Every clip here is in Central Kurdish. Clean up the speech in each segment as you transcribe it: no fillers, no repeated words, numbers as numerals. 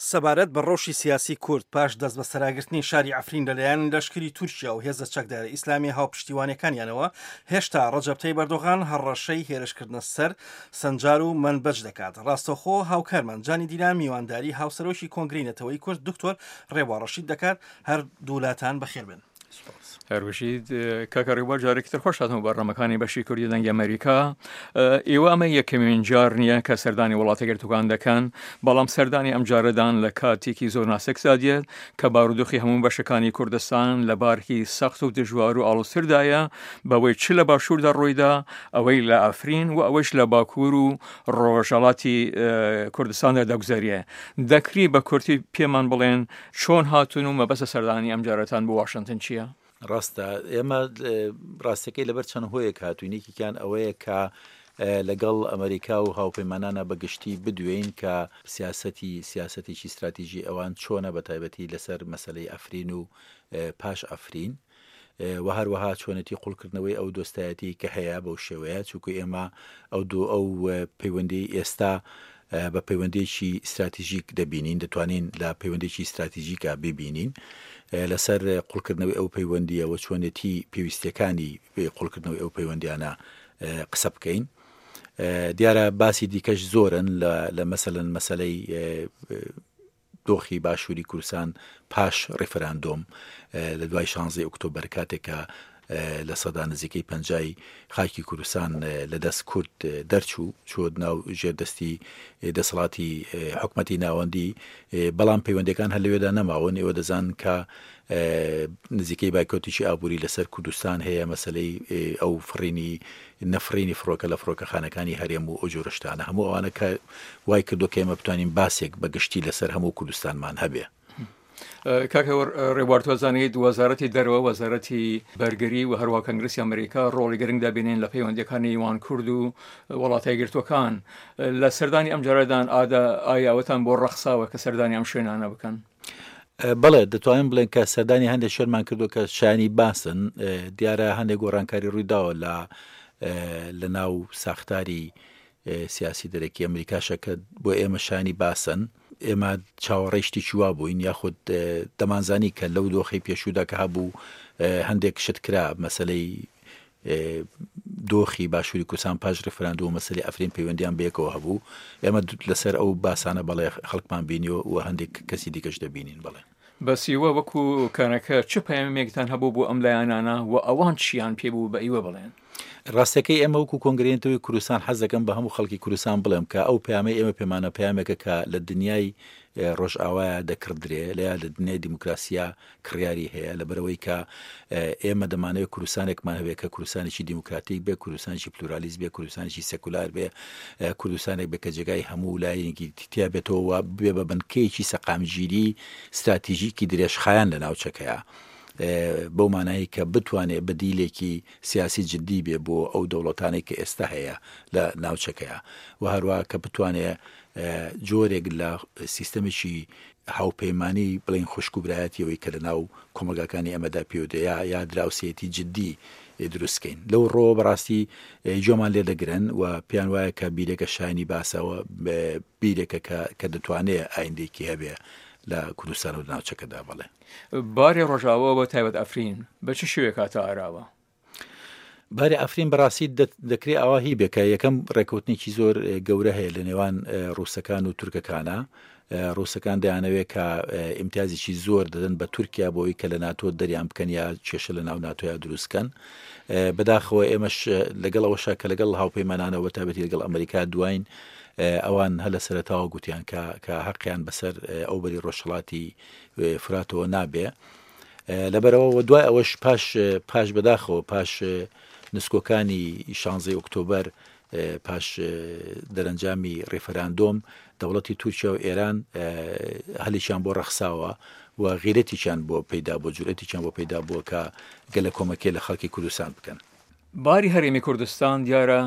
سەبارەت بە ڕەوشی سیاسی کورد پاش دەستبەسەراگرتنی شاری عەفرین لەلایەن لەشکری تورکیا و هێزە چەکدارە ئیسلامیە هاوپشتیوانەکانیانەوە، هێشتا ڕەجەب تەیب ئەردۆغان هەڕەشەی هێرشکردنە سەر سنجار و مەنبەج دەکات. ڕاستەوخۆ هاوکارمان جانی دیلان میوانداری هاوسەرۆکی کۆنگرەی نەتەوەیی کورد دکتۆر ڕێبوار ڕەشید دەکات. هەردوولاتان بەخێر بێن. هەروشید کاکە ڕێبوار جارێکی تر خۆش هاتنەوە بەرنامەکانی بەشی کوردی دەنگی ئەمریکا ئێوە ئەمە یەکەمین جار نییە کە سەردانی وڵاتە گرتوەکان دەکەن بەڵام سەردانی ئەم جارەدان لە کاتێکی زۆر ناسکدا دێت کە بارودۆخی هەموو بەشەکانی کوردستان لە بارکی سەخت و دژوار و ئاڵۆزتردایە بەوەی چ لە باشووردا ڕوویدا ئەوەی لە ئەفرین و ئەوەش لە باکوور و ڕۆژهەڵاتی کوردستاندا دەگوزەرێ دەکری بە کورتی پێمان بڵێن چۆن هاتوون و مەبەستە سەردانی ئەمجارەتان بۆ واشنتن چییە؟ ڕاستە ئێمە ڕاستەکەی لەبەر چەند هۆیەک هاتووین یەکێکیان ئەوەیە کە لەگەڵ ئەمریکا و هاوپەیمانانە بە گشتی بدوێین کە سیاسەتی سیاسەتێکی ستراتیژی ئەوان چۆنە بە تایبەتی لەسەر مەسەلەی ئەفرین و پاش ئەفرین و هەروەها چۆنێتی قوڵکردنەوەی ئەو دۆستایەتی کە هەیە بەو شێوەیە چونکو ئێمە ئەو دوو ئەو پەیوەندی ئێستا بە پەیوەندیەکی ستراتیژیک دەبینین، دەتوانین لە پەیوەندیەکی ستراتیژیکا بیبینین لەسەر قوڵکردنەوەی ئەو پەیوەندیە و چۆنێتی پێویستیەکانی قوڵکردنەوەی ئەو پەیوەندیانە قسە بکەین. دیارە باسی دیکەش زۆرن لە مەسەلەن مەسەلەی دۆخی باشووری کوردستان پاش ڕیفراندۆم لە دوای شانزەی ئۆکتۆبەر کاتێک کە نزیکەی پەنجای خاکی کوردستان لە دەست کورد دەرچوو چووە ناو ژێر دەستی دەسەڵاتی حکومەتی ناوەندی بەڵام پەیوەندەکان هەر لەوێدا نەماون ئێوە دەزان کە نزیکەی بایکۆتێکی ئابووری لەسەر کوردستان هەیە مەسلەی ئەو فڕینی نەفڕینی فڕۆکە لە فڕۆکەخانەکانی هەرێم و ئەو جۆرە شتانە هەموو ئەوانە کە وای کردو کە ئێمە بتوانین باسێک بە گشتی لەسەر هەموو کوردستانمان هەبێ. کاکە ڕێبوار تۆ زانیت وەزارەتی دەرەوە وەزارەتی بەرگری و هەروە کەنگرسی ئەمریکا ڕۆڵی گرنگ دەبینین لە پەیوەندیەکانی نێوان کورد و وڵاتە یەکگرتووەکان لە سەردانی ئەم جارەدان ئادا ئایا ئەوەتان بۆ ڕەخساوە کە سەردانی ئەم شوێنانە بکەن؟ بەڵێ دەتوانین بڵێن کە سەردانی هەندێک شوێنمان کردو کە شایانی باسن دیارە هەندێک گۆڕانکاری ڕوویداوە لە لە ناو ساختاری سیاسی دەرەکی ئەمریکاشە کە بۆ ئێمە شانی باسن ئێمە چاوەڕێی شتێکی وا بووین یاخود دەمانزانی کە لەو دۆخی پێشوودا کە هەبوو هەندێک شت کرا مەسلەی دۆخی باشووری کوردستان پاش ڕیفراندۆم و مەسەلەی ئەفرین پەیوەندیان بەیەکەوە هەبوو، ئێمە لەسەر ئەو باسانە بەڵێ خەڵکمان بینیوە و هەندێک کەسی دیکەش دەبینین بەڵێ. بەس ئیوە وەکو کەنەکە چ پەیامێکتان هەبوو بۆ ئەم لایەنانە و ئەوان چیان پێ بوو بە ئیوە بڵێن؟ ڕاستەکەی ئێمە وەکو کۆنگرەی نەتەوەی کوردستان حەز دەکەم بە هەموو خەڵکی کوردستان بڵێم کە ئەو پەیامەی ئێمە پێمانە پەیامێکە کە لە دنیای ڕۆژئاوایە دەکڕدرێ لە یا لە دنیای دیموکراسیا کڕیاری هەیە، لەبەرئەوەی کە ئێمە دەمانەوێت کوردستانێکمان هەبێت کە کوردستانێکی دیموکراتیک بێت، کوردستانێکی پلورالیست بێت، کوردستانێکی سێکولار بێت، کوردستانێک بێت کە جێگای هەموو لایەنێکی تیا بێتەوە و ببێ بە بنکەیەکی سەقامگیری ستراتیژیکی درێژخایەن لە ناوچەکەیا. بەو مانایەی کە بتوانێت بەدیلێکی سیاسی جدی بێ بۆ ئەو دەوڵەتانەی کە ئێستا هەیە لە ناوچەکەیا و هەروە کە بتوانێت جۆرێک لە سیستەمێکی هاوپەیمانی بڵێین خوشک و برایەتی ئەوەی کە لە ناو کۆمەڵگاکانی ئێمەدا پێودێ یا یا دراوسێتی جدی دروست کەین لەو ڕۆوە بەڕاستی گوێمان لێ دەگرن و پێیان وایە کە بیرێکە شایانی باسەوە بیرێکە کە کە دەتوانێ ئایندێکی هەبێ لە کوردستان و ناوچەکەدا بەڵێ. باری ڕۆژاوا بە تایبەت ئەفرین بە چ شێوەیەک هاتە ئاراوە؟ باری ئەفرین بەڕاستی دەکرێ ئاوا هی بێ کە یەکەم ڕێکەوتنێکی زۆر گەورە هەیە لە نێوان ڕووسەکان و تورکەکانە ڕووسەکان دەیانەوێت کە ئیمتیازێکی زۆر دەدەن بە تورکیا بۆی کە لە ناتۆ دەریان بکەن یا کێشە لە ناو ناتۆیا دروستکەن بەداخەوە ئێمەش لەگەڵ ئەوەشا کە لەگەڵ هاوپەیمانانەوە تابەتی لەگەڵ ئەمریکا دواین ئەوان هەر لە سەرەتاوە گوتیان کە کە حەقیان بەسەر ئەو بەری ڕۆژهەڵاتی فراتەوە نابێ لەبەرئەوە و دوای ئەوەش پاش پاش بەداخەوە پاش نسکۆکانی شانزەی ئۆکتۆبەر پاش دەرەنجامی ڕیفراندۆم دەوڵەتی تورکیا و ئێران هەلێکیان بۆ ڕەخساوە و غیرەتێکیان بۆ پەیدا بۆ جورئەتێکیان بۆ پەیدا بووە کە گەلە کۆمەکێ لە خەڵکی کوردستان بکەن. باری هەرێمی کوردستان دیارە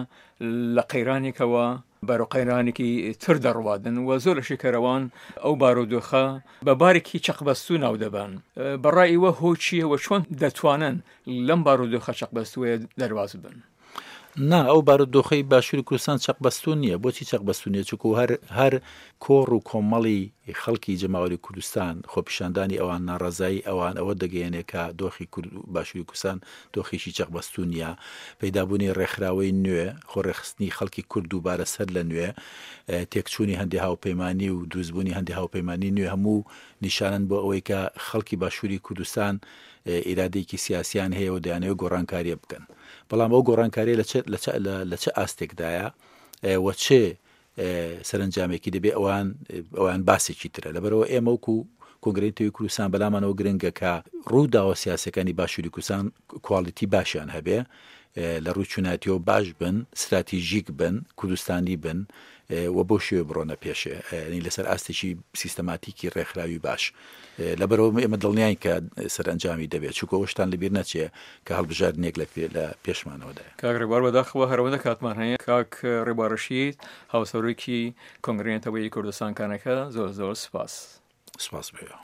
لە قەیرانێکەوە بەرەو قەیرانێکی تر دەڕوادن و زۆر لە شیکەرەوان ئەو بارودۆخە بە بارێکی چەقبەستوو ناو دەبەن. بە ڕای ئیوە هۆی چییە و چۆن دەتوانن لەم بارودۆخە چەقبەستووەیە دەرباز بن؟ نا، ئەو بارودۆخەی باشووری کوردستان چەقبەستوو نییە. بۆچی چەقبەستوو نییە؟ چونکوو هەر هەر کۆڕ و کۆمەڵی خەڵکی جەماوەری کوردستان، خۆپیشاندانی ئەوان، ناڕەزایی ئەوان ئەوە دەگەیەنێ کە دۆخی کورد باشووری کوردستان دۆخێکی چەقبەستوو نییە. پەیدابوونی ڕێکخراوەی نوێ، خۆڕێکخستنی خەڵکی کورد دووبارە سەر لە نوێ، تێکچوونی هەندێ هاوپەیمانی و دروستبوونی هەندێ هاوپەیمانی نوێ هەموو نیشانەن بۆ ئەوەی کە خەڵکی باشووری کوردستان ئیرادەیەکی سیاسیان هەیە و دەیانەوێت گۆڕانکارییە بکەن. بەڵام ئەو گۆڕانکارییە لە چ لە چ لە چ ئاستێکدایە و چ سەرەنجامێکی دەبێ ئەوان ئەوان باسێکی ترە لەبەرەوە ئێمە وەکو کۆنگرەی نەتەوەیی کوردستان بەلامانەوە گرنگە کە ڕووداوە سیاسەکانی باشووری کوردستان کوالیتی باشیان هەبێ لە ڕووی چوناتیەوە باش بن ستراتیژیک بن کوردستانی بن و بەو شێوە بڕۆنە پێشێ ینی لەسەر ئاستێکی سیستەماتیکی ڕێکخراوی باش لەبەرەوە ئێمە دڵنیاین کە سەرئەنجامی دەبێت چونکە ئەوەشتان لەبیر نەچێ کە هەڵبژاردنێک لە پێ لە پێشمانەوەدایە. کاک ڕێبوار بەداخەوە هەر ئەوەندە کاتمان هەیە کاک ڕێبوار ڕەشید هاوسەرۆکی کۆنگرەی نەتەوەیی کوردستان کانەکە زۆر زۆر سوپاس. سوپاس بۆ ئێوە.